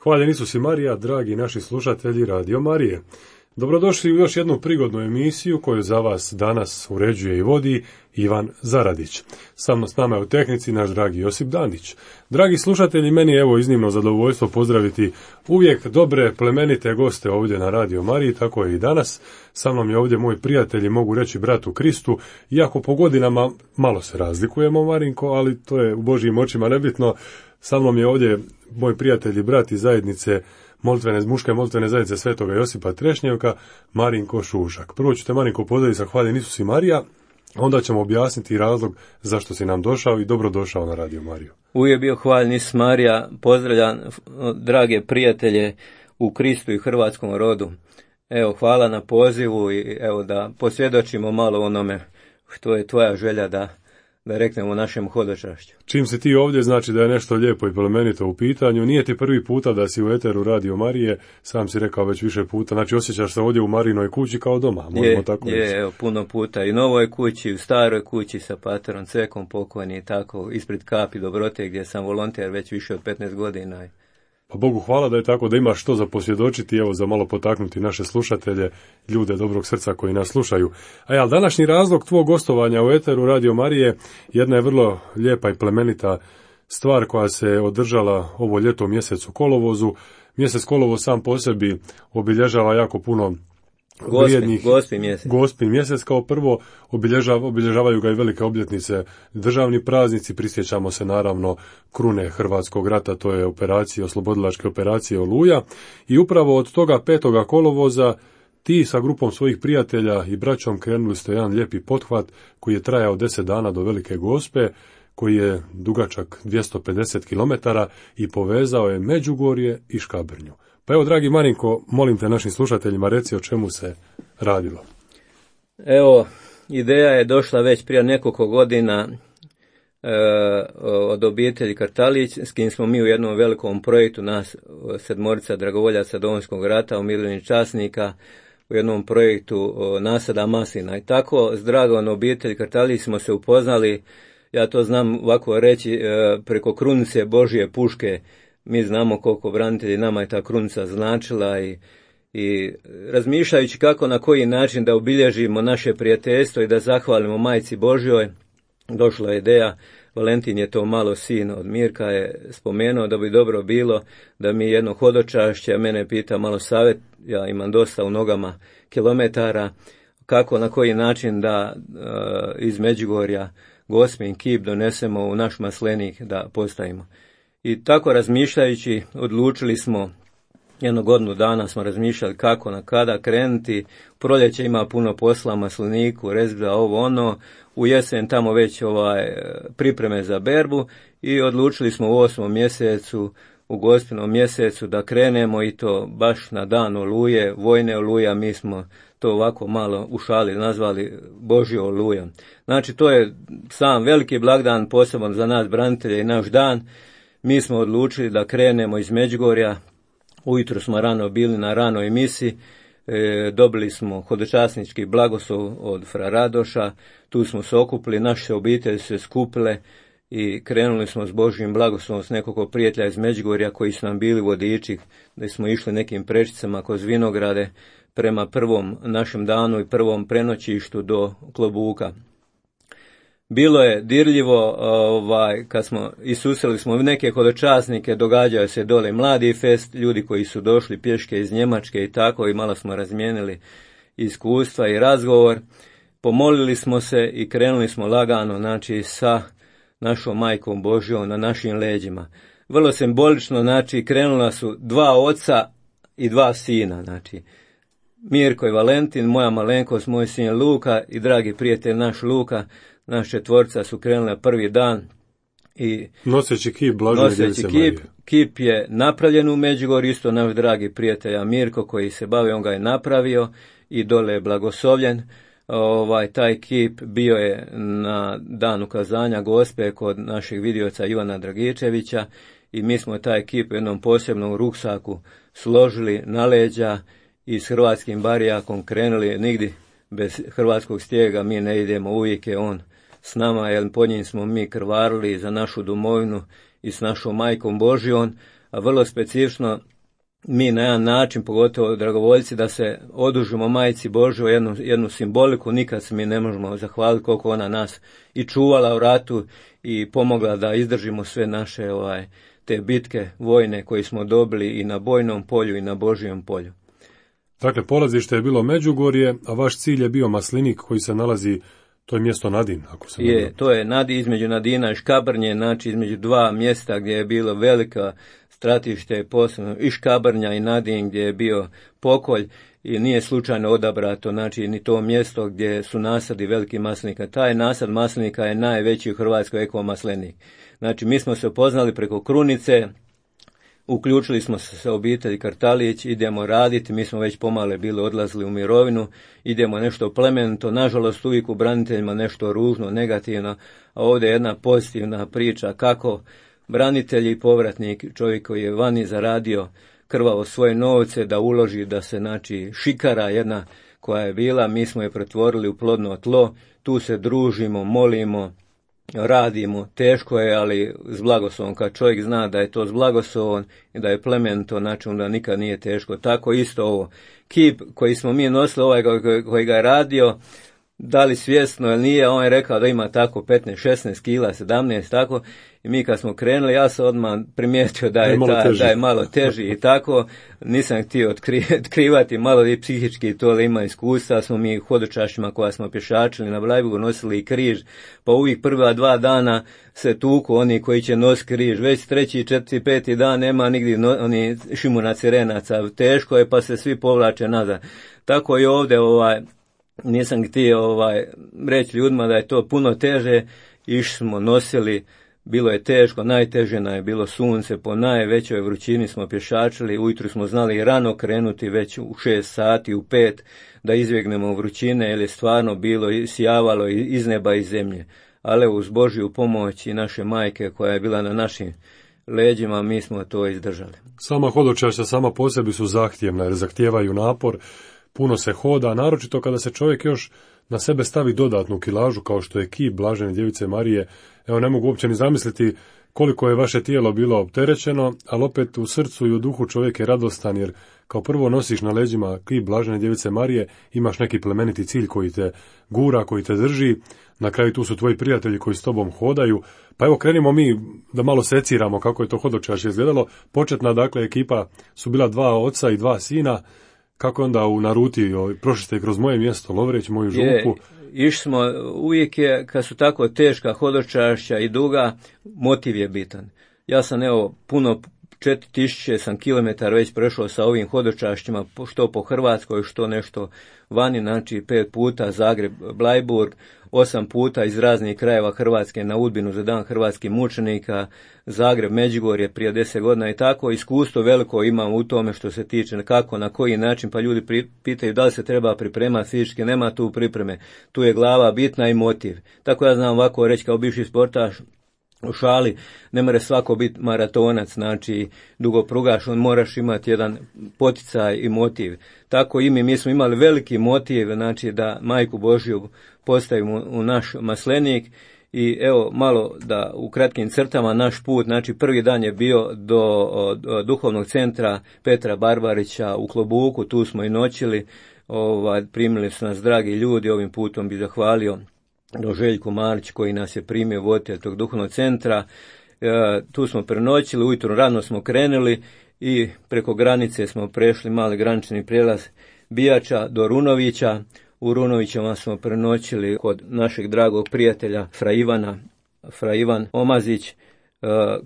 Hvaljen Isus i Marija, dragi naši slušatelji Radio Marije. Dobrodošli u još jednu prigodnu emisiju koju za vas danas uređuje i vodi Ivan Zaradić. S nama je u tehnici naš dragi Josip Dandić. Dragi slušatelji, meni je evo iznimno zadovoljstvo pozdraviti uvijek dobre, plemenite goste ovdje na Radio Mariji, tako je i danas. Sa mnom je ovdje moj prijatelj i mogu reći brat u Kristu, iako po godinama malo se razlikujemo, Marinko, ali to je u Božjim očima nebitno. Sa mnom je ovdje moj prijatelj i brat iz zajednice muške moltvene zajednice Svetoga Josipa Trešnjevka, Marinko Šušak. Prvo ću te, Marinko, pozdraviti sa Hvaljen Isus i Marija, onda ćemo objasniti razlog zašto si nam došao i dobrodošao na Radio Mariju. Uvijek bio Hvaljen Isus Marija, pozdravljam drage prijatelje u Kristu i hrvatskom rodu. Evo, hvala na pozivu i evo da posvjedočimo malo onome što je tvoja želja da reknemo našem hodočašću. Čim si ti ovdje, znači da je nešto lijepo i plemenito u pitanju. Nije ti prvi puta da si u eteru Radio Marije, sam si rekao već više puta, znači osjećaš se ovdje u Marinoj kući kao doma. Evo, puno puta i novoj kući, u staroj kući sa paterom Cekom pokojni, tako ispred Kapi Dobrote gdje sam volonter već više od 15 godina. Pa Bogu hvala da je tako, da imaš što za posvjedočiti, evo za malo potaknuti naše slušatelje, ljude dobrog srca koji nas slušaju. Ali današnji razlog tvog gostovanja u eteru Radio Marije jedna je vrlo lijepa i plemenita stvar koja se održala ovo ljeto u mjesecu kolovozu. Mjesec kolovoz sam po sebi obilježava jako puno vrijednih Gospin mjesec kao prvo, obilježavaju ga i velike obljetnice, državni praznici, prisjećamo se naravno krune Hrvatskog rata, to je oslobodilačke operacije Oluja, i upravo od toga 5. kolovoza ti sa grupom svojih prijatelja i braćom krenuli ste jedan lijepi pothvat koji je trajao 10 dana do Velike Gospe, koji je dugačak 250 km i povezao je Međugorje i Škabrnju. Pa evo, dragi Marinko, molim te našim slušateljima reci o čemu se radilo. Evo, ideja je došla već prije nekoliko godina od obitelji Kartalić, s kim smo mi u jednom velikom projektu, nas 7 dragovoljaca Domovinskog rata, umirovljenih časnika, u jednom projektu nasada maslina. I tako s dragom obitelji Kartalić smo se upoznali, ja to znam ovako reći, preko krunice Božje puške. Mi znamo koliko branitelji nama je ta krunica značila i razmišljajući kako na koji način da obilježimo naše prijateljstvo i da zahvalimo Majci Božjoj, došla je ideja. Valentin je to malo sin od Mirka je spomenuo da bi dobro bilo da mi jedno hodočašće, mene pita malo savjet, ja imam dosta u nogama kilometara, kako na koji način da iz Međugorja Gospin kip donesemo u naš maslenik da postavimo. I tako razmišljajući odlučili smo, jednu godinu dana smo razmišljali kako na kada krenuti. U proljeće ima puno posla, masliniku, rezgla, ovo ono, u jesen tamo već pripreme za berbu i odlučili smo u 8. mjesecu, u Gospinom mjesecu da krenemo i to baš na dan Oluje, vojne Oluja, mi smo to ovako malo u šali nazvali Božja Oluja. Znači to je sam veliki blagdan poseban za nas branitelje i naš dan. Mi smo odlučili da krenemo iz Međugorja, ujutro smo rano bili na ranoj misi, dobili smo hodočasnički blagoslov od fra Radoša, tu smo se okupili, naše obitelji se skupile i krenuli smo s Božjim blagoslovom s nekoliko prijatelja iz Međugorja koji su nam bili vodiči, da smo išli nekim prečicama kroz vinograde prema prvom našem danu i prvom prenoćištu do Klobuka. Bilo je dirljivo, kad smo susreli smo neke hodočasnike, događaju se dole mladi fest, ljudi koji su došli pješke iz Njemačke i tako, i malo smo razmijenili iskustva i razgovor. Pomolili smo se i krenuli smo lagano, znači sa našom Majkom Božjom na našim leđima. Vrlo simbolično, znači krenula su 2 oca i 2 sina, znači Mirko i Valentin, moja malenkost, moj sin Luka i dragi prijatelj naš Luka. Naš 4 su krenuli na prvi dan i noseći kip Blažene Djevice Marije. Kip je napravljen u Međugorju, isto naš dragi prijatelj Mirko koji se bavi, on ga je napravio i dole je blagoslovljen. Taj kip bio je na dan ukazanja Gospe kod našeg vidioca Ivana Dragičevića i mi smo taj kip u jednom posebnom ruksaku složili na leđa i s hrvatskim barijakom krenuli nigdje bez hrvatskog stijega mi ne idemo, uvijek je on s nama, jer pod njim smo mi krvarili za našu domovinu i s našom majkom Božjom, a vrlo specifično mi na jedan način, pogotovo dragovoljci, da se odužimo majci Božjoj jednu simboliku, nikad se mi ne možemo zahvaliti koliko ona nas i čuvala u ratu i pomogla da izdržimo sve naše te bitke vojne koje smo dobili i na bojnom polju i na Božjem polju. Dakle, polazište je bilo Međugorje, a vaš cilj je bio Maslinik koji se nalazi, to je mjesto Nadin, ako se je. To je između Nadina i Škabrnje, znači između dva mjesta gdje je bilo velika stratište, posebno i Škabrnja i Nadin gdje je bio pokolj i nije slučajno odabrato, znači ni to mjesto gdje su nasadi velikih maslinika. Taj nasad maslinika je najveći u Hrvatskoj ekomaslenik. Znači mi smo se upoznali preko krunice, uključili smo se sa obitelji Kartalić, idemo raditi, mi smo već pomale bili odlazili u mirovinu, idemo nešto plemenito, nažalost uvijek u braniteljima nešto ružno, negativno, a ovdje je jedna pozitivna priča kako branitelj i povratnik, čovjek koji je vani zaradio krvavo svoje novce da uloži, da se znači šikara jedna koja je bila, mi smo je pretvorili u plodno tlo, tu se družimo, molimo, radimo, teško je, ali s blagoslovom. Kad čovjek zna da je to s blagoslovom i da je plemenito, znači onda nikad nije teško. Tako isto ovo. Kip koji smo mi nosili, koji ga je radio, da li svjesno ili nije, on je rekao da ima tako 15, 16 kila, 17, tako, i mi kad smo krenuli, ja sam odmah primijetio da je malo teži i tako, nisam htio otkrivati, malo i psihički to ima iskustva, smo mi hodočašćima koja smo pješačili na Blajburgu nosili i križ, pa uvijek prva 2 dana se tuku oni koji će nositi križ, već 3., 4., 5. dan nema nigdje oni šimuna cirenaca, teško je pa se svi povlače nazad. Tako i ovdje nisam htio reći ljudima da je to puno teže, išli smo, nosili, bilo je teško, najteže nam je bilo sunce, po najvećoj vrućini smo pješačili, ujutro smo znali rano krenuti već u 6 sati, u 5, da izbjegnemo vrućine, jer je stvarno bilo sjavalo iz neba i zemlje. Ali uz Božju pomoć i naše majke koja je bila na našim leđima, mi smo to izdržali. Sama hodočašća sama po sebi su zahtjevna, jer zahtijevaju napor, puno se hoda, naročito kada se čovjek još na sebe stavi dodatnu kilažu kao što je kip Blažene djevice Marije. Evo, ne mogu uopće ni zamisliti koliko je vaše tijelo bilo opterećeno, ali opet u srcu i u duhu čovjek je radostan, jer kao prvo nosiš na leđima kip Blažene djevice Marije, imaš neki plemeniti cilj koji te gura, koji te drži, na kraju tu su tvoji prijatelji koji s tobom hodaju. Pa evo, krenimo mi da malo seciramo kako je to hodočašće izgledalo. Početna, dakle, ekipa su bila 2 oca i 2 sina. Kako onda na ruti, prošli ste kroz moje mjesto, Lovreć, moju župu? Išli smo, uvijek je, kad su tako teška hodočašća i duga, motiv je bitan. Ja sam puno 4000 sam kilometara već prešao sa ovim hodočašćima, što po Hrvatskoj, što nešto vani, znači 5 puta Zagreb, Blajburg, 8 puta iz raznih krajeva Hrvatske na Udbinu za dan hrvatskih mučenika, Zagreb, Međugorje prije 10 godina i tako. Iskustvo veliko imam u tome što se tiče kako, na koji način, pa ljudi pitaju da li se treba pripremati fizički, nema tu pripreme, tu je glava bitna i motiv. Tako ja znam ovako reći kao bivši sportaš, u šali, ne more svako biti maratonac, znači dugoprugaš, on moraš imati jedan poticaj i motiv. Tako i mi smo imali veliki motiv, znači da Majku Božju postavimo u naš maslenik. I evo malo da u kratkim crtama naš put, znači prvi dan je bio do duhovnog centra Petra Barbarića u Klobuku, tu smo i noćili, primili su nas dragi ljudi, ovim putom bi zahvalio do Željko Marić koji nas je primio voditelj tog duhovnog centra. Tu smo prenoćili, ujutro rano smo krenuli i preko granice smo prešli mali granični prijelaz Bijača do Runovića. U Runovićama smo prenoćili kod našeg dragog prijatelja Fra Ivan Omazić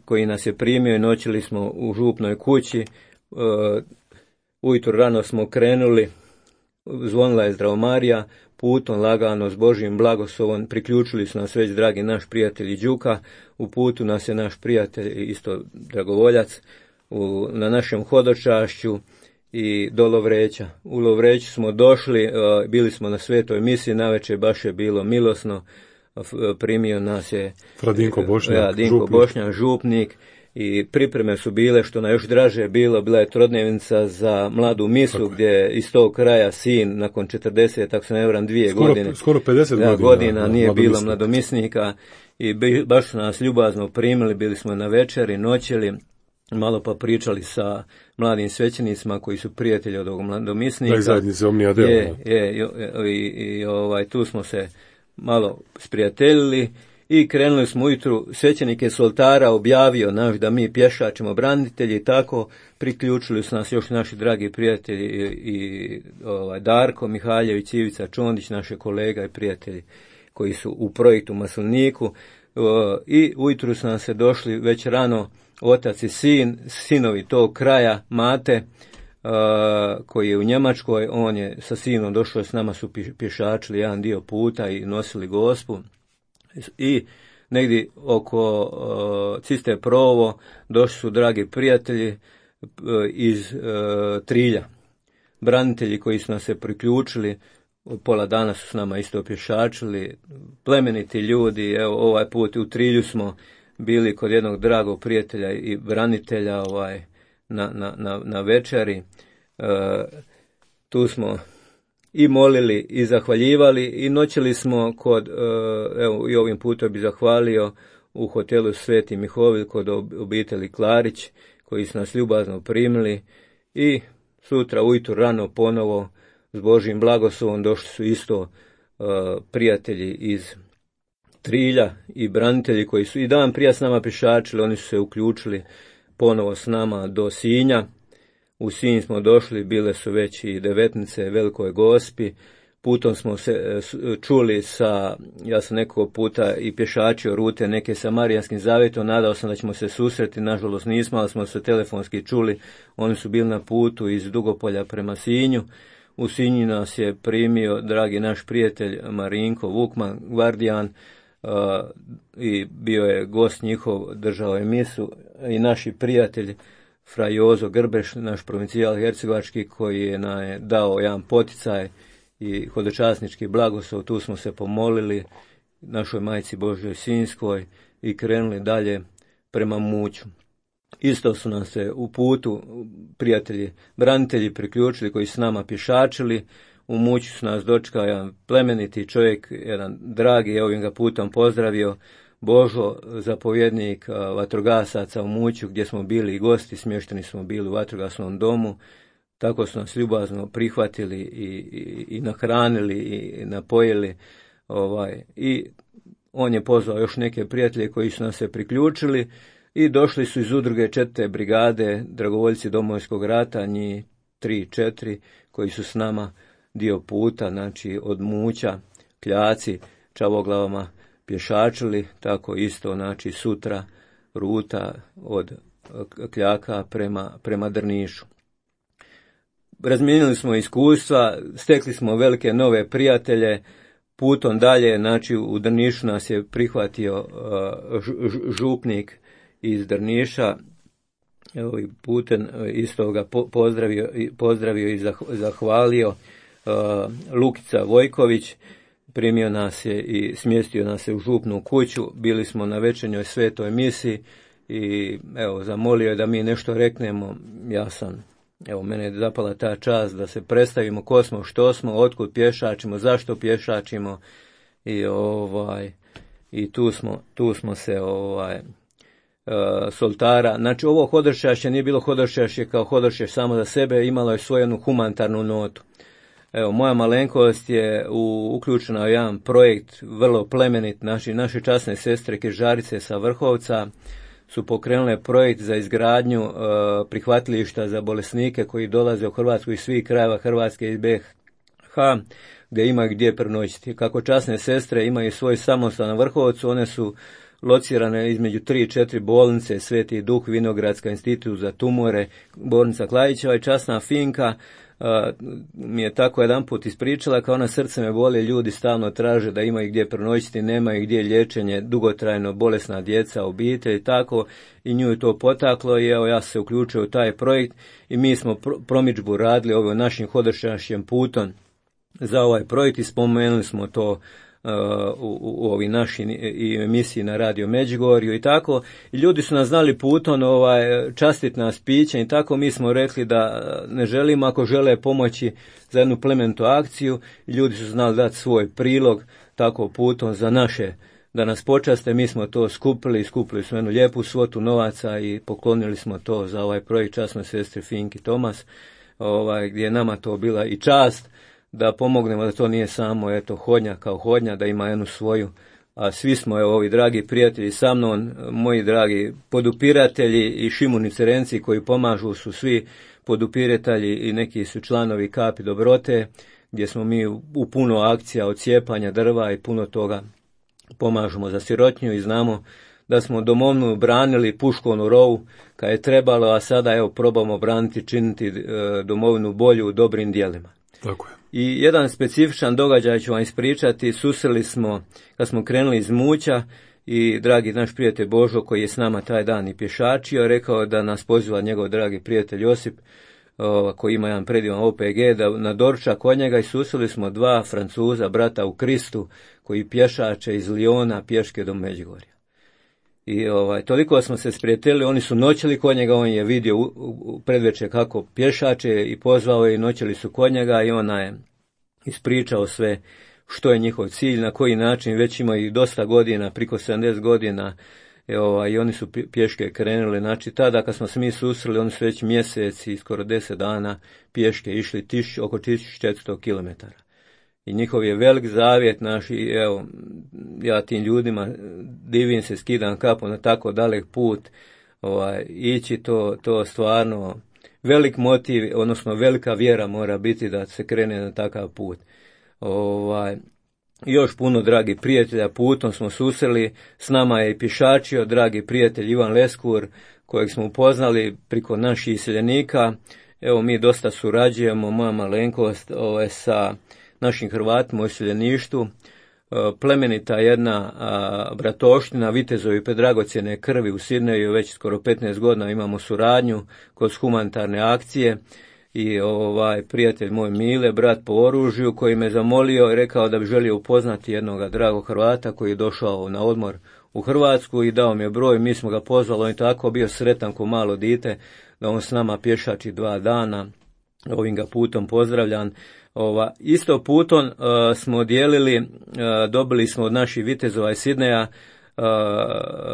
koji nas je primio i noćili smo u župnoj kući. Ujutro rano smo krenuli, zvonila je Zdravomarija, putom lagano s Božjim blagoslovom priključili su nas već dragi naš prijatelj Đuka, u putu nas je naš prijatelj isto dragovoljac na našem hodočašću i do Lovreća. U Lovreću smo došli, bili smo na svetoj misiji, navečer baš je bilo milosno, primio nas je Dinko Bošnjak, župnik, i pripreme su bile, što na još draže bilo, bila je trodnevnica za mladu misu, gdje iz tog kraja sin nakon 40, tako se ne varam, 2 godine. Skoro 50 godina nije bilo mladomisnika i baš su nas ljubazno primili, bili smo na večeri, noćeli, malo pa pričali sa mladim svećenicima koji su prijatelji od ovog mladomisnika. Zajednice Omnia Deo. Tu smo se malo sprijateljili i krenuli smo ujutru. Svećenik je s oltara objavio da mi pješačimo branitelji i tako priključili su nas još naši dragi prijatelji i Darko Mihaljević, Ivica Čondić, naše kolega i prijatelji koji su u projektu Masliniku. I ujutru su nam se došli već rano otac i sinovi tog kraja, Mate, koji je u Njemačkoj, on je sa sinom došao, s nama su pješačili jedan dio puta i nosili gospu. I negdje oko Ciste Provo došli su dragi prijatelji iz Trilja, branitelji koji su nas se priključili, pola dana su s nama isto pješačili, plemeniti ljudi. Evo, ovaj put u Trilju smo bili kod jednog dragog prijatelja i branitelja na večeri. Tu smo i molili i zahvaljivali i noćili smo kod, evo i ovim putem bi zahvalio, u hotelu Sveti Mihovil kod obitelji Klarić, koji su nas ljubazno primili, i sutra ujutro rano ponovo s Božjim blagoslovom došli su isto prijatelji iz Trilja i branitelji koji su i dan prije s nama pješačili, oni su se uključili ponovo s nama do Sinja. U Sinj smo došli, bile su već i devetnice Velikoj Gospi. Putom smo se čuli ja sam nekog puta i pješačio rute neke sa Marijanskim zavjetom, nadao sam da ćemo se susreti, nažalost nismo, ali smo se telefonski čuli. Oni su bili na putu iz Dugopolja prema Sinju. U Sinju nas je primio dragi naš prijatelj Marinko Vukman, gvardijan, i bio je gost njihov, držao je misu, i naši prijatelj fra Jozo Grbeš, naš provincijal hercegovački, koji je dao jedan poticaj i hodočasnički blagoslov. Tu smo se pomolili našoj Majci Božjoj Sinjskoj i krenuli dalje prema Muću. Isto su nam se u putu prijatelji, branitelji priključili koji su s nama pješačili. U Muću su nas dočekao jedan plemeniti čovjek, jedan dragi, ovim ga putom pozdravio, Božo, zapovjednik vatrogasaca u Muću, gdje smo bili i gosti, smješteni smo bili u vatrogasnom domu. Tako su nas ljubazno prihvatili i nahranili i napojili. I on je pozvao još neke prijatelje koji su nas se priključili i došli su iz udruge 4. brigade dragovoljci Domovinskog rata, njih 3-4, koji su s nama dio puta, znači od Muća, Kljaci, Čavoglavama pješačili, tako isto, znači sutra ruta od Kljaka prema Drnišu. Razmijenili smo iskustva, stekli smo velike nove prijatelje, putom dalje, znači u Drnišu nas je prihvatio župnik iz Drniša, evo i putem isto ga pozdravio i zahvalio, Lukica Vojković, primio nas je i smjestio nas je u župnu kuću. Bili smo na večernjoj svetoj misi i evo zamolio je da mi nešto reknemo. Mene je zapala ta čast da se predstavimo ko smo, što smo, otkud pješačimo, zašto pješačimo i tu smo se s oltara. Znači ovo hodočašće nije bilo hodočašće kao hodočašće samo za sebe, imalo je svoju jednu humanitarnu notu. Evo, moja malenkost je uključena u jedan projekt vrlo plemenit. Naše časne sestre Križarice sa Vrhovca su pokrenule projekt za izgradnju prihvatilišta za bolesnike koji dolaze u Hrvatsku iz svih krajeva Hrvatske i BiH, gdje imaju gdje prenoćiti. Kako časne sestre imaju svoj samostan na Vrhovcu, one su locirane između 3 i 4 bolnice, Sveti Duh, Vinogradska, Institut za tumore, bolnica Klajićeva i časna Finka mi je tako jedan put ispričala, kao ona srce me boli, ljudi stalno traže da imaju gdje prenoćiti, nemaju gdje liječenje, dugotrajno bolesna djeca, obitelj i tako, i nju je to potaklo i evo ja se uključio u taj projekt i mi smo promidžbu radili ovim našim hodočašćem putom za ovaj projekt i spomenuli smo to u ovi naši emisiji na Radio Međugorju i tako. I ljudi su nas znali putom častiti nas pićem i tako. Mi smo rekli da ne želimo, ako žele pomoći za jednu plemenitu akciju. I ljudi su znali dati svoj prilog tako putom za naše, da nas počaste. Mi smo to skupili smo jednu lijepu svotu novaca i poklonili smo to za ovaj projekt časnoj sestri Finki Tomas, gdje je nama to bila i čast da pomognemo, da to nije samo hodnja kao hodnja, da ima jednu svoju, a svi smo ovi dragi prijatelji sa mnom, moji dragi podupiratelji i Šimunice Renci koji pomažu su svi podupiratelji i neki su članovi Kapi dobrote, gdje smo mi u puno akcija od cijepanja drva i puno toga pomažemo za sirotnju i znamo da smo domovnu branili puškovnu rovu kad je trebalo, a sada probamo braniti, činiti domovinu bolju u dobrim djelima. Tako je. I jedan specifičan događaj ću vam ispričati. Susreli smo, kad smo krenuli iz Muća, i dragi naš prijatelj Božo, koji je s nama taj dan i pješačio, rekao da nas poziva njegov dragi prijatelj Josip, koji ima jedan predivan OPG, da na doručak kod njega, i susreli smo 2 Francuza, brata u Kristu, koji pješače iz Lijona pješke do Međugorja. I toliko smo se sprijateljili, oni su noćili kod njega, on je vidio u predvečer kako pješače i pozvao je i noćili su kod njega i ona je ispričao sve što je njihov cilj, na koji način, već imaju dosta godina, priko 70 godina, i oni su pješke krenuli. Znači tada kad smo se mi susreli, oni su već mjeseci, skoro 10 dana pješke išli oko 1400 km. I njihov je velik zavjet naš, i ja tim ljudima divim se, skidam kapu na tako dalek put, ići to stvarno velik motiv, odnosno velika vjera mora biti da se krene na takav put. Još puno dragi prijatelja putom smo susreli, s nama je i pješačio dragi prijatelj Ivan Leskur, kojeg smo upoznali priko naših iseljenika. Mi dosta surađujemo, moja malenkost, sa našim Hrvatima u iseljeništvu, plemenita jedna bratoština, vitezovi predragocjene krvi u Sidneju, već skoro 15 godina imamo suradnju kroz humanitarne akcije. I prijatelj moj Mile, brat po oružju, koji me zamolio i rekao da bi želio upoznati jednog dragog Hrvata koji je došao na odmor u Hrvatsku i dao mi je broj. Mi smo ga pozvali, on je tako bio sretan ko malo dite da on s nama pješači 2 dana. Ovim ga putom pozdravljam. Isto putom smo dijelili, dobili smo od naših vitezova iz Sidneja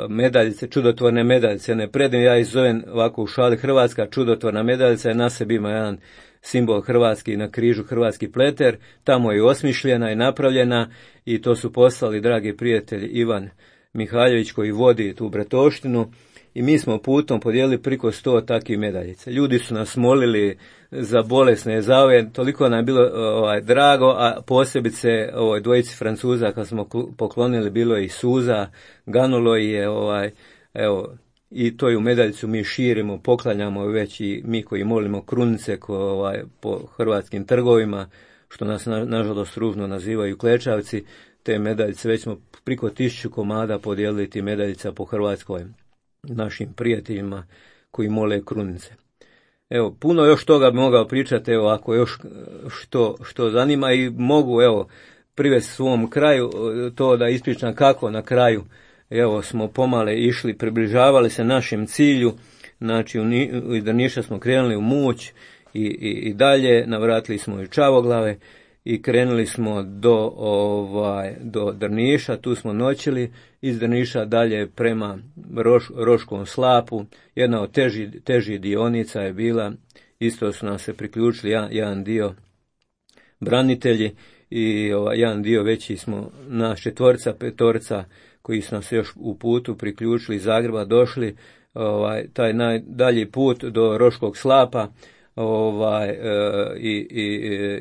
medaljice, čudotvorne medaljice, ne predim, ja ih zovem ovako u šali Hrvatska čudotvorna medaljica, na sebi ima jedan simbol hrvatski, na križu hrvatski pleter, tamo je osmišljena i napravljena, i to su poslali dragi prijatelj Ivan Mihaljević koji vodi tu bratoštinu, i mi smo putom podijelili priko 100 takvih medaljica. Ljudi su nas molili za bolesne, za ove, toliko nam je bilo drago, a posebice ovoj dvojici Francuza kad smo poklonili, bilo je i suza, ganulo je, i to ju medaljicu mi širimo, poklanjamo već i mi koji molimo krunice po hrvatskim trgovima, što nas nažalost ružno nazivaju klečavci. Te medaljice, već smo priko 1000 komada podijelili ti medaljica po Hrvatskoj našim prijateljima koji mole krunice. Puno još toga bi mogao pričati, ako još što zanima, i mogu privesti svom kraju to da ispričam kako na kraju smo pomale išli, približavali se našem cilju. Znači iz Drniša smo krenuli u Muć i dalje, navratili smo i Čavoglave i krenuli smo do Drniša, tu smo noćili, iz Drniša dalje prema Roškom slapu. Jedna od težih dionica je bila, isto su nam se priključili jedan dio branitelji i jedan dio veći smo, nas 4, 5 koji su nam se još u putu priključili iz Zagreba, došli taj najdalji put do Roškog slapa,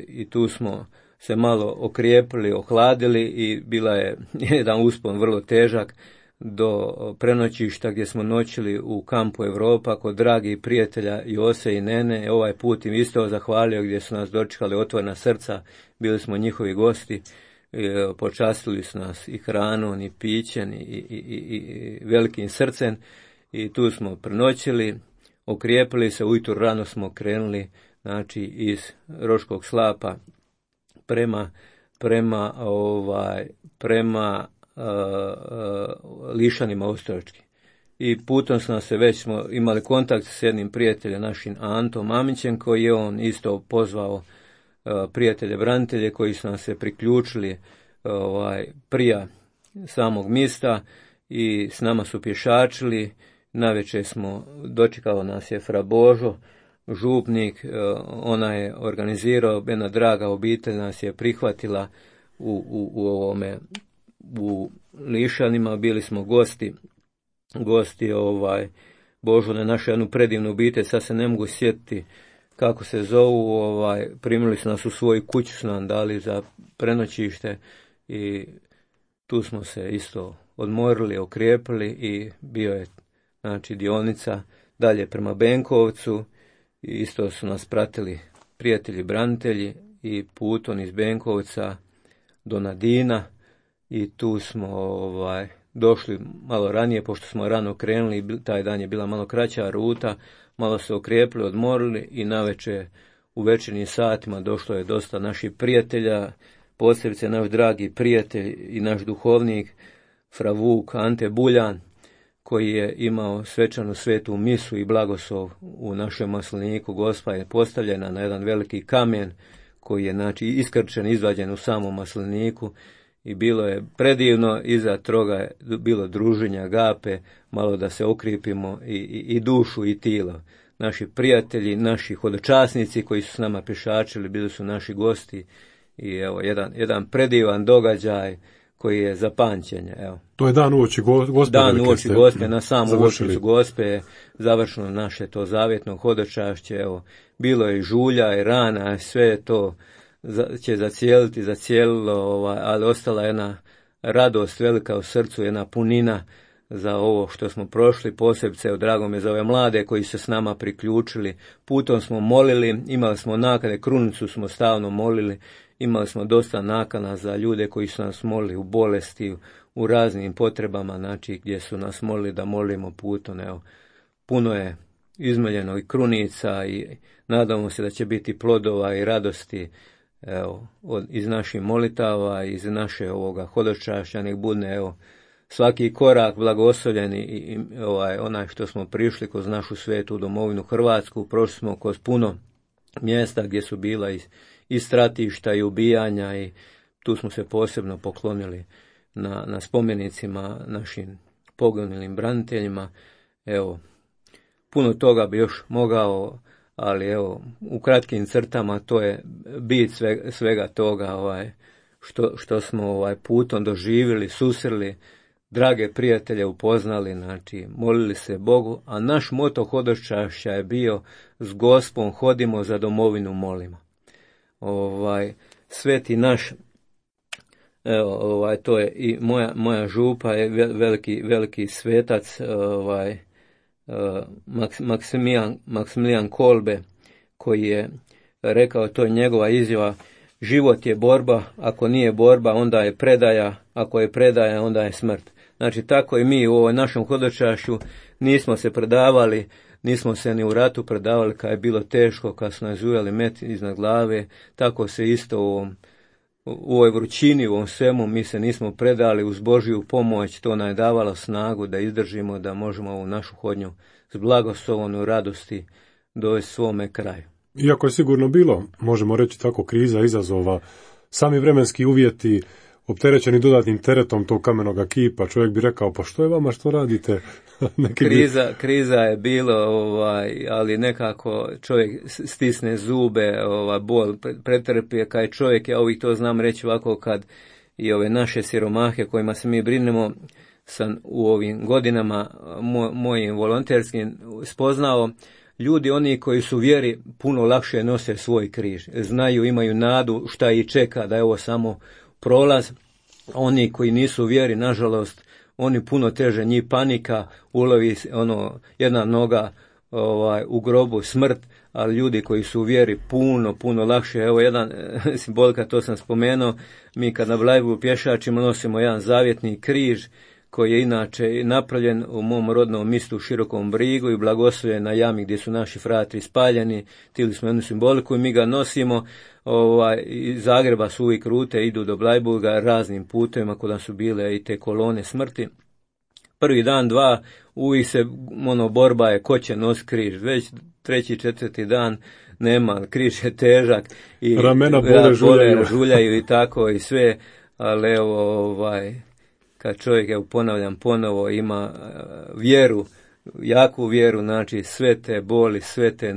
i tu smo se malo okrijepili, ohladili, i bila je jedan uspon vrlo težak do prenoćišta gdje smo noćili u kampu Europa kod dragih prijatelja Jose i Nene. Ovaj put im isto zahvalio, gdje su nas dočekali otvorena srca, bili smo njihovi gosti, počastili su nas i hranom i pićem i velikim srcem, i tu smo prenoćili, okrijepili se, ujutro rano smo krenuli, znači iz Roškog slapa prema prema Lišanima Ostrovački. I putom smo imali kontakt s jednim prijateljem našim Antom Mamićem, koji je on isto pozvao prijatelje branitelje koji su nam se priključili prije samog mista i s nama su pješačili. Navečer dočekao nas je Fra Božo, župnik, ona je organizirao, jedna draga obitelj nas je prihvatila u Lišanima, bili smo gosti Božone, našu jednu predivnu obitelj, sad se ne mogu sjetiti kako se zovu, primili su nas u svoju kuću, su nam dali za prenoćište i tu smo se isto odmorili, okrijepili i bio je dionica dalje prema Benkovcu i isto su nas pratili prijatelji branitelji i putom iz Benkovca do Nadina i tu smo došli malo ranije, pošto smo rano krenuli, taj dan je bila malo kraća ruta, malo se okrijepili, odmorili i navečer u večernjim satima došlo je dosta naših prijatelja, posebice naš dragi prijatelj i naš duhovnik Fra Vuk Ante Buljan, koji je imao svečanu svetu misu i blagoslov u našem masliniku. Gospa je postavljena na jedan veliki kamen koji je iskrčen, izvađen u samom masliniku i bilo je predivno, iza toga je bilo druženja, gape, malo da se okripimo i dušu i tijelo. Naši prijatelji, naši hodočasnici koji su s nama pješačili, bili su naši gosti i evo jedan predivan događaj koji je za pamćenje. Evo. To je dan uoči Gospe. Dan uoči Gospe, na samu uočicu Gospe, završeno naše to zavjetno hodočašće. Evo, bilo je i žulja i rana, sve to će zacijelilo, ali ostala jedna radost velika u srcu, jedna punina za ovo što smo prošli, posebice drago me za ove mlade koji se s nama priključili. Putom smo molili, imali smo nakane, krunicu smo stalno molili, imali smo dosta nakana za ljude koji su nas molili u bolesti, u raznim potrebama, gdje su nas molili da molimo putom. Evo, puno je izmeljeno i krunica i nadamo se da će biti plodova i radosti iz naših molitava, iz naše ovoga hodočašća, nek bude svaki korak blagoslovljen i onaj što smo prišli kroz našu svetu domovinu Hrvatsku. Prošli smo kroz puno mjesta gdje su bila i stratišta i ubijanja i tu smo se posebno poklonili na spomenicima našim poginulim braniteljima. Evo, puno toga bi još mogao, ali u kratkim crtama to je bit svega toga što smo putom doživjeli, susreli, drage prijatelje upoznali, molili se Bogu, a naš moto hodočašća je bio s Gospom hodimo, za domovinu molimo. Sveti naš, to je i moja župa je veliki svetac, Maksimilijan Kolbe, koji je rekao, to je njegova izjava, život je borba, ako nije borba onda je predaja, ako je predaja onda je smrt. Tako i mi u ovoj našem hodočašću nismo se predavali, nismo se ni u ratu predavali kad je bilo teško, kad su nas ujeli met iznad glave, tako se isto u ovoj vrućini, u ovom svemu mi se nismo predali, uz Božju pomoć to nam je davalo snagu da izdržimo, da možemo ovu našu hodnju s blagoslovom u radosti dovesti svome kraju. Iako je sigurno bilo, možemo reći tako, kriza, izazova, sami vremenski uvjeti, opterećeni dodatnim teretom tog kamenoga kipa, čovjek bi rekao, pa što je vama, što radite? Kriza je bilo, ali nekako čovjek stisne zube, bol pretrpije, kad čovjek, ja uvijek to znam reći ovako, kad i ove naše siromahe kojima se mi brinemo, sam u ovim godinama mojim volonterskim spoznao, ljudi oni koji su vjeri puno lakše nose svoj križ, znaju, imaju nadu šta ih čeka, da je ovo samo prolaz. Oni koji nisu vjeri, nažalost, oni puno teže, njih panika, ulovi jedna noga u grobu, smrt, ali ljudi koji su u vjeri puno lakše. Evo jedan simbolika, to sam spomenuo, mi kad na Blajbu pješačimo nosimo jedan zavjetni križ koji je inače napravljen u mom rodnom mistu u Širokom Brigu i blagoslovljen na jami gdje su naši fratri spaljeni. Tili smo jednu simboliku i mi ga nosimo. Iz Zagreba su uvijek rute, idu do Blajburga raznim putevima kuda su bile i te kolone smrti. Prvi dan, dva, uvijek se borba je ko će nos križ. Već treći, četvrti dan nema, križ je težak i ramena bole, žuljaju i tako i sve, ali kad čovjek, ponavljam ponovo, ima vjeru, jaku vjeru, znači sve te boli, sve te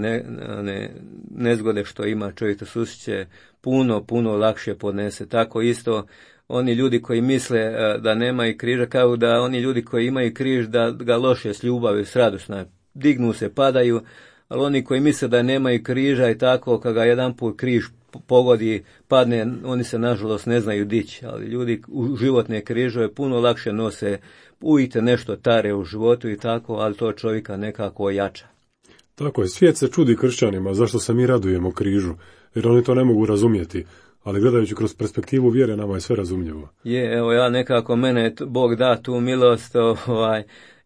nezgode što ima čovjek to susreće, puno lakše podnese. Tako isto oni ljudi koji misle da nemaju križa, kao da oni ljudi koji imaju križ da ga loše s ljubavi, s radosna, dignu se, padaju, ali oni koji misle da nemaju križa i tako, kad ga jedan put križ pogodi, padne, oni se nažalost ne znaju dići, ali ljudi u životne križove puno lakše nose, uvijek nešto tare u životu i tako, ali to čovjeka nekako ojača. Tako je, svijet se čudi kršćanima, zašto se mi radujemo križu, jer oni to ne mogu razumjeti. Ali gledajući kroz perspektivu vjere, nama je sve razumljivo. Ja nekako, mene Bog da tu milost,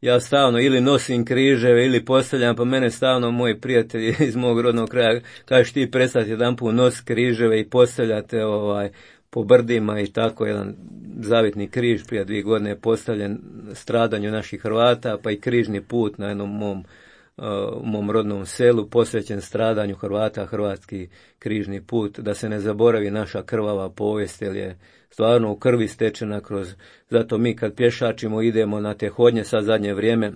ja stalno ili nosim križeve ili postavljam, pa mene stalno moji prijatelji iz mog rodnog kraja kažeš ti prestati jedan put nos križeve i postavljate po brdima i tako. Jedan zavitni križ prije 2 godine je postavljen stradanju naših Hrvata, pa i križni put na jednom mom rodnom selu posvećen stradanju Hrvata, hrvatski križni put, da se ne zaboravi naša krvava povijest, jer je stvarno u krvi stečena zato mi kad pješačimo idemo na te hodnje, sad zadnje vrijeme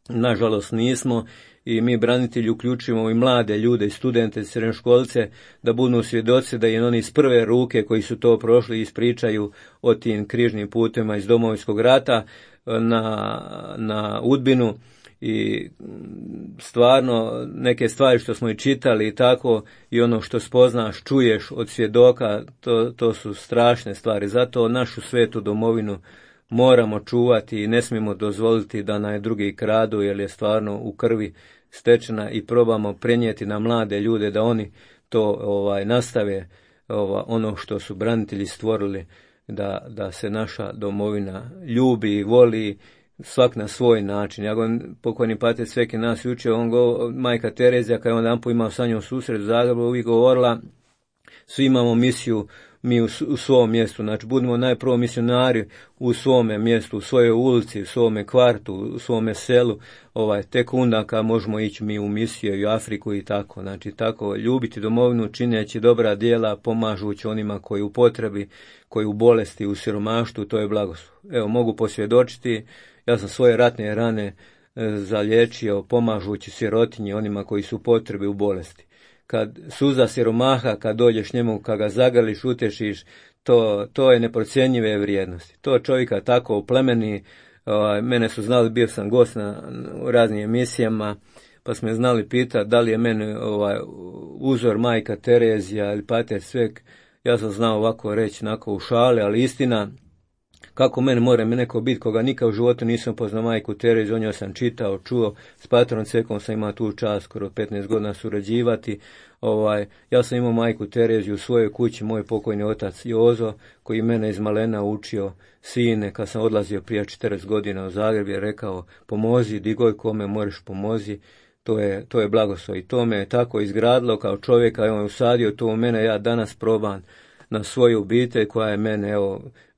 nažalost nismo, i mi branitelji uključujemo i mlade ljude i studente, srednjoškolce, da budu svjedoci, da im oni iz prve ruke koji su to prošli ispričaju o tim križnim putima iz Domovinskog rata na Udbinu. I stvarno neke stvari što smo i čitali i tako, i ono što spoznaš, čuješ od svjedoka, to su strašne stvari. Zato našu svetu domovinu moramo čuvati i ne smijemo dozvoliti da nam drugi kradu, jer je stvarno u krvi stečena, i probamo prenijeti na mlade ljude da oni to nastave, ono što su branitelji stvorili, da se naša domovina ljubi i voli, svak na svoj način. Pokojni pater Sveki nas učio, majka Terezija, kada je on jedan put imao sa njom susret u Zagrebu, uvijek govorila, svi imamo misiju mi u svom mjestu, znači budemo najprvo misionari u svome mjestu, u svojoj ulici, u svome kvartu, u svome selu, tek onda kad možemo ići mi u misiju i u Afriku i tako. Znači tako ljubiti domovinu, čineći dobra djela, pomažući onima koji u potrebi, koji u bolesti, u siromaštvu, to je blagoslov. Evo, mogu posvjedočiti, ja sam svoje ratne rane zaliječio pomažući sirotinji, onima koji su u potrebi, u bolesti. Kad suza siromaha, kad dođeš njemu, kad ga zagrliš, utešiš, to je neprocjenjive vrijednosti. To čovjeka tako oplemeni. Mene su znali, bio sam gost u raznim emisijama, pa smo znali pitati da li je meni uzor majka Terezija ili pater Svek. Ja sam znao ovako reći, onako u šale, ali istina, kako mene mora neko biti koga nikad u životu nisam poznao majku Tereziju, o njoj sam čitao, čuo, s patrom Cvekom sam imao tu čast skoro 15 godina surađivati. Ja sam imao majku Tereziju u svojoj kući, moj pokojni otac Jozo, koji mene iz malena učio, sine, kad sam odlazio prije 40 godina u Zagreb, je rekao, pomozi, digoj kome možeš, pomozi. To je blagoslov, i to me tako izgradilo kao čovjeka, on je usadio to u mene, ja danas probam na svoju obitelj koja je mene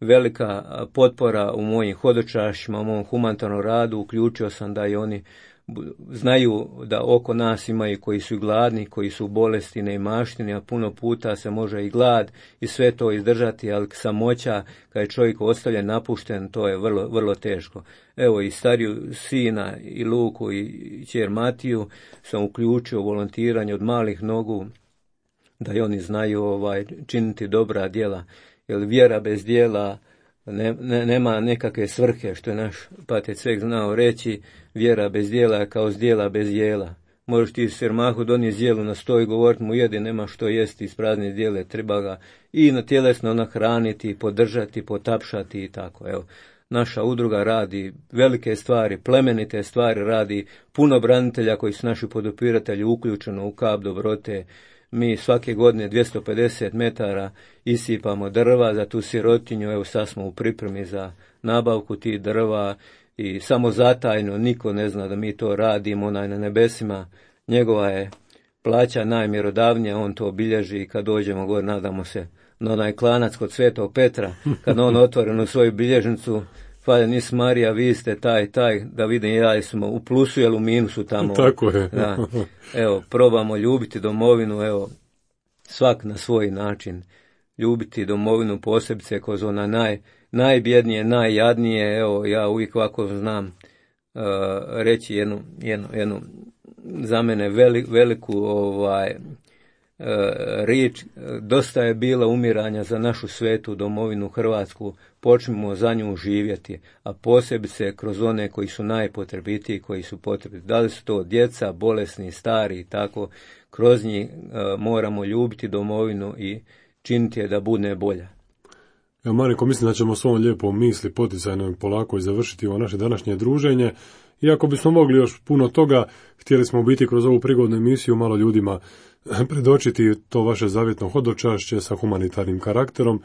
velika potpora u mojim hodočašćima, u mom humanitarnom radu. Uključio sam da i oni znaju da oko nas imaju koji su gladni, koji su u bolesti, neimaštini, a puno puta se može i glad i sve to izdržati, ali samoća, kad je čovjek ostavljen, napušten, to je vrlo, vrlo teško. Evo, i stariju sina i Luku i kćer Matiju sam uključio u volontiranje od malih nogu, da i oni znaju činiti dobra djela, jer vjera bez djela nema nekakve svrhe, što je naš pater Cvek znao reći, vjera bez djela je kao zdjela bez jela. Možeš ti siromahu donijeti zdjelu na sto i govoriti mu jedi, nema što jesti iz prazne zdjele, treba ga i na tjelesno nahraniti, podržati, potapšati i tako. Evo, naša udruga radi velike stvari, plemenite stvari, radi puno branitelja koji su naši podupiratelji, uključeno u kap dobrote, mi svake godine 250 metara isipamo drva za tu sirotinju. Evo sad smo u pripremi za nabavku tih drva i samo zatajno, niko ne zna da mi to radimo, onaj na nebesima, njegova je plaća najmjerodavnija, on to obilježi i kad dođemo gore, nadamo se, na onaj klanac kod Svetog Petra, kad on otvori svoju bilježnicu, Hvala nis Marija, vi ste taj, da vidim ja smo u plusu ili u minusu tamo. Tako je. Da. Evo, probamo ljubiti domovinu, evo, svak na svoj način. Ljubiti domovinu posebice kroz ona najbjednije, najjadnije. Evo, ja uvijek ovako znam reći jednu za mene veliku riječ. Dosta je bila umiranja za našu svetu domovinu Hrvatsku, počnemo za nju živjeti, a posebice kroz one koji su najpotrebitiji, koji su potrebiti. Da li su to djeca, bolesni, stari i tako, kroz njih moramo ljubiti domovinu i činiti je da bude bolja. Ja, Marinko, mislim da ćemo s ovom lijepom misli poticajno polako i završiti ovo naše današnje druženje. Iako bismo mogli još puno toga, htjeli smo biti kroz ovu prigodnu emisiju malo ljudima predočiti to vaše zavjetno hodočašće sa humanitarnim karakterom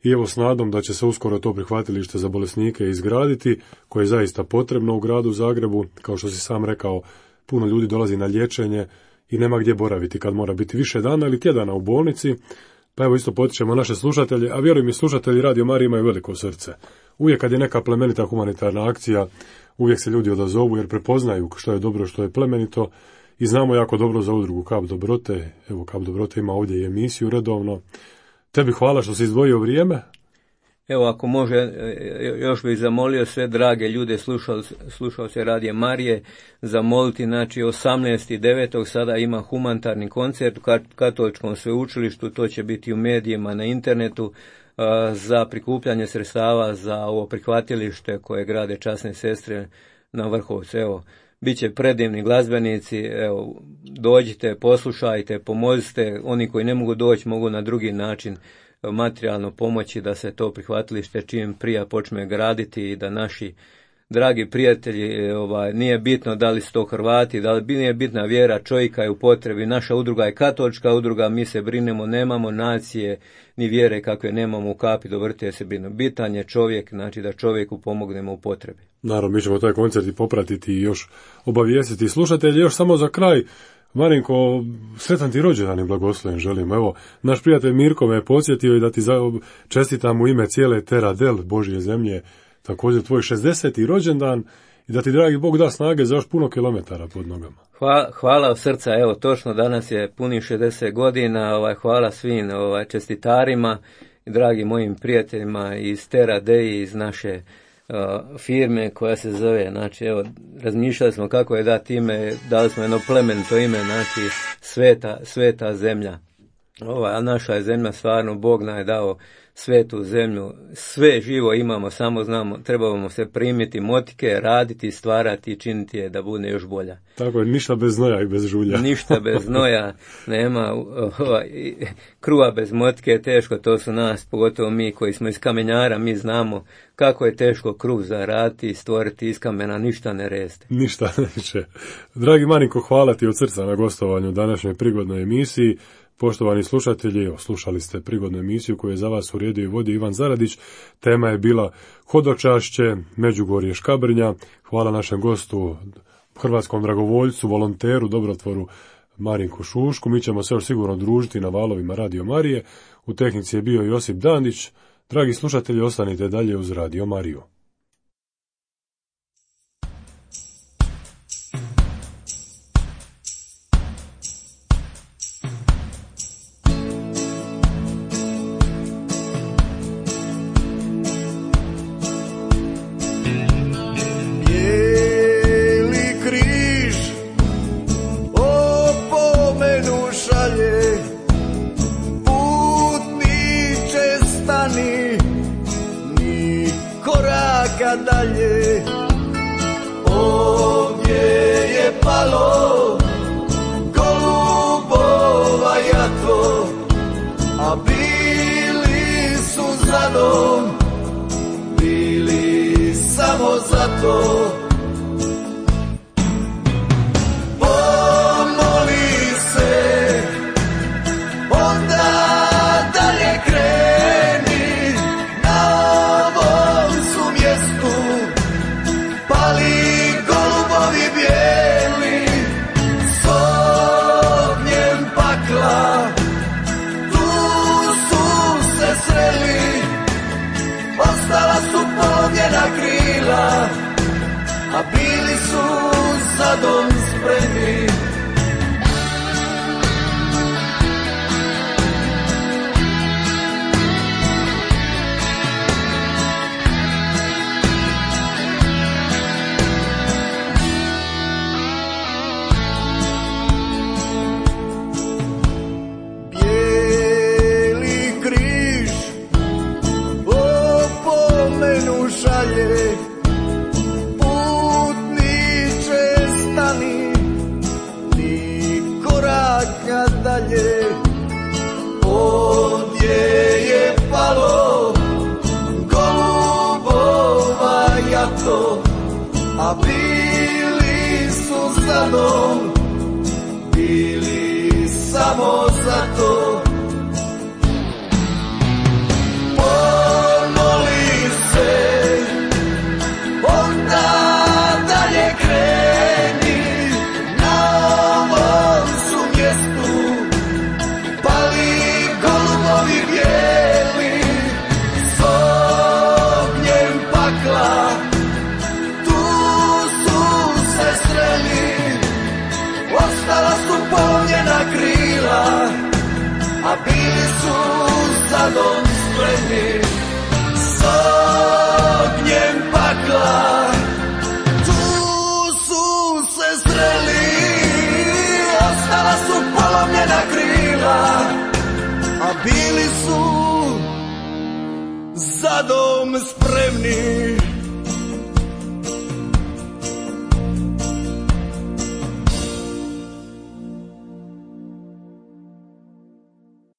i evo s nadom da će se uskoro to prihvatilište za bolesnike izgraditi, koje je zaista potrebno u gradu Zagrebu. Kao što si sam rekao, puno ljudi dolazi na liječenje i nema gdje boraviti kad mora biti više dana ili tjedana u bolnici. Pa evo isto potičemo naše slušatelje, a vjerujem i slušatelji Radio Marije imaju veliko srce. Uvijek kad je neka plemenita humanitarna akcija, uvijek se ljudi odazovu jer prepoznaju što je dobro, što je plemenito i znamo jako dobro za udrugu Kap Dobrote. Evo, Kap Dobrote ima ovdje i emisiju redovno. Tebi hvala što si izdvojio vrijeme. Evo, ako može, još bih zamolio sve drage ljude, slušao se Radio Marije, zamoliti, znači 18.9. sada ima humanitarni koncert u Katoličkom sveučilištu, to će biti u medijima, na internetu, za prikupljanje sredstava za ovo prihvatilište koje grade časne sestre na Vrhovcu. Evo, bit će predivni glazbenici, evo, dođite, poslušajte, pomozite, oni koji ne mogu doći mogu na drugi način materijalno pomoći da se to prihvatilište čim prije počne graditi i da naši dragi prijatelji, nije bitno da li su to Hrvati, da li nije bitna vjera, čovjeka je u potrebi. Naša udruga je katolička udruga, mi se brinemo, nemamo nacije ni vjere kakve nemamo u Kapi Dobrote se brinu. Bitan je čovjek, znači da čovjeku pomognemo u potrebi. Naravno, mi ćemo taj koncert i popratiti i još obavijestiti slušatelji. Još samo za kraj, Marinko, sretan ti rođendan i blagosloven želim. Evo, naš prijatelj Mirko me je podsjetio i da ti čestitam u ime cijele Terra del Božje zemlje, također tvoj 60. rođendan i da ti dragi Bog da snage za još puno kilometara pod nogama. Hvala od srca, evo točno danas je punih 60 godina, hvala svim čestitarima i dragim mojim prijateljima iz Terra Dei, iz naše firme koja se zove, znači evo, razmišljali smo kako je dati ime, dali smo jedno plemenito ime, znači sveta zemlja. A naša je zemlja, stvarno Bog nam je dao svetu zemlju, sve živo imamo, samo znamo, trebamo se primiti motike, raditi, stvarati i činiti je da bude još bolja. Tako je, ništa bez znoja i bez žulja. Ništa bez znoja, nema kruha bez motike je teško, to su nas, pogotovo mi koji smo iz kamenjara, mi znamo kako je teško kruh zaraditi i stvoriti iz kamena, ništa ne reste. Ništa neće. Dragi Marinko, hvala ti od srca na gostovanju u današnjoj prigodnoj emisiji. Poštovani slušatelji, slušali ste prigodnu emisiju koju je za vas uredio i vodio Ivan Zaradić. Tema je bila hodočašće Međugorje Škabrnja. Hvala našem gostu, hrvatskom dragovoljcu, volonteru, dobrotvoru Marinku Šušku. Mi ćemo se još sigurno družiti na valovima Radio Marije. U tehnici je bio Josip Dandić. Dragi slušatelji, ostanite dalje uz Radio Mariju. Dalje, ovdje je palo golubova jato, a bili su zadom, bili samo zato. Pomoli se a bili su za dom spremni. Putniče stani, ni koraka dalje. Ovdje je palo golubova jato, a bili su za dom, bili samo za to. A bili su za dom spremni, s ognjem pakla. Tu su se sreli, ostala su polomljena krila, a bili su za dom spremni.